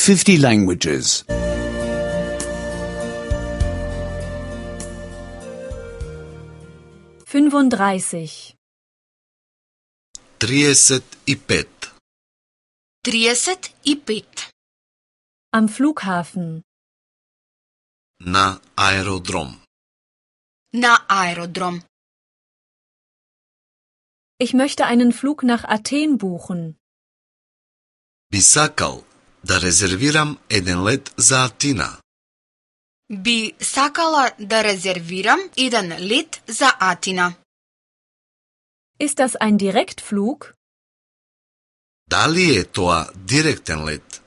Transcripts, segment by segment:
50 languages. 35. 35. 35. Am Flughafen. На аеродром. На аеродром. Ich möchte einen Flug nach Athen buchen. Би сакал да резервирам еден лет за Атина. Би сакала да резервирам еден лет за Атина. Ist das ein Direktflug? Дали е тоа директен лет?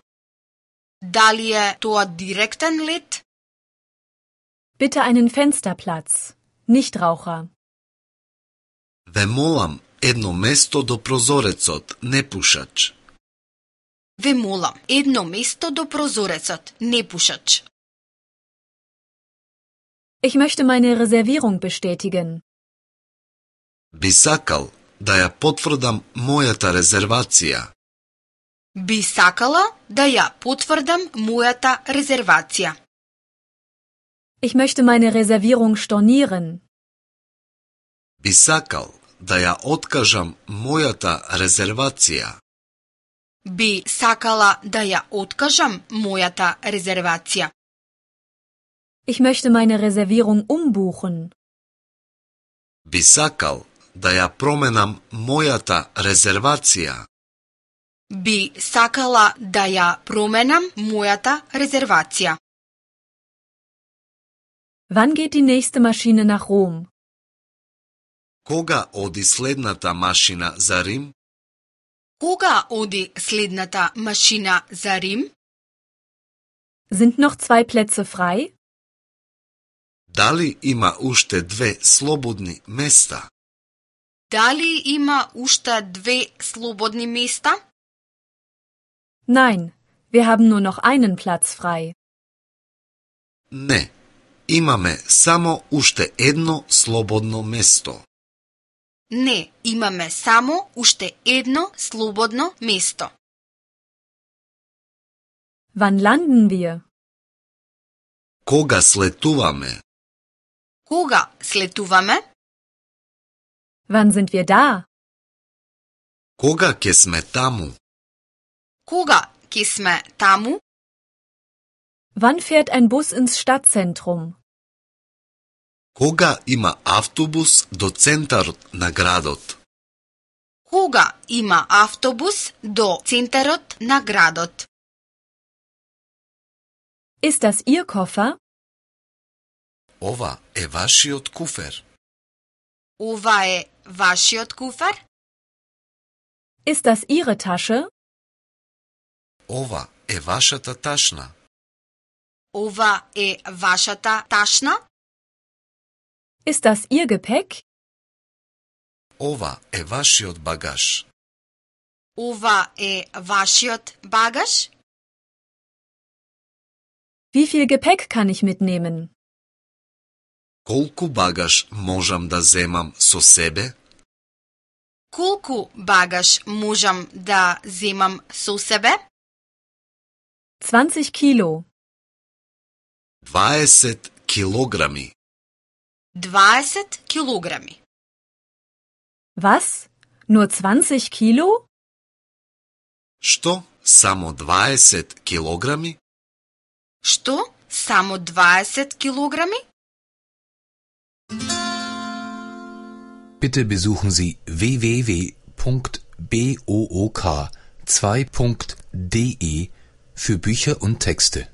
Дали е тоа директен лет? Bitte einen Fensterplatz. Nichtraucher. Ве молам едно место до прозорецот, непушач. Ве молам едно место до прозорецот, непушач. Ich möchte meine Reservierung bestätigen. Би сакал да ја потврдам мојата резервација. Би сакала да ја потврдам мојата резервација. Ich möchte meine Reservierung stornieren. Би сакал да ја откажам мојата резервација. Би сакала да ја откажам мојата резервација. Ich möchte meine Reservierung umbuchen. Би сакал да ја променам мојата резервација. Би сакала да ја променам мојата резервација. Wann geht die nächste Maschine nach Rom? Кога оди следната машина за Рим? Кога оди следната машина за Рим? Sind noch 2 Plätze frei? Дали има уште 2 слободни места? Дали има уште 2 слободни места? Nein, wir haben nur noch einen Platz frei. Не, имаме само уште едно слободно место. Не, имаме само уште едно слободно место. Wann landen wir? Кога слетуваме? Кога слетуваме? Wann sind wir da? Кога ќе сме таму? Кога ќе сме таму? Wann fährt ein Bus ins Stadtzentrum? Кога има автобус до центарот на градот? Кога има автобус до центарот на градот? Ist das Ihr Koffer? Ова е вашиот куфер. Ова е вашиот куфер? Ist das Ihre Tasche? Ова е вашата ташна. Ова е вашата ташна? Ist das Ihr Gepäck? Ова е вашиот багаж. Ова е вашиот багаж? Wie viel Gepäck kann ich mitnehmen? Колку багаж можам да земам со себе? Колку багаж можам да земам со себе? 20 Kilo. 20 килограми. 20 килограми. Was? Nur 20 Kilo? Што? Само 20 килограми? Што? Само 20 килограми? Bitte besuchen Sie www.book2.de für Bücher und Texte.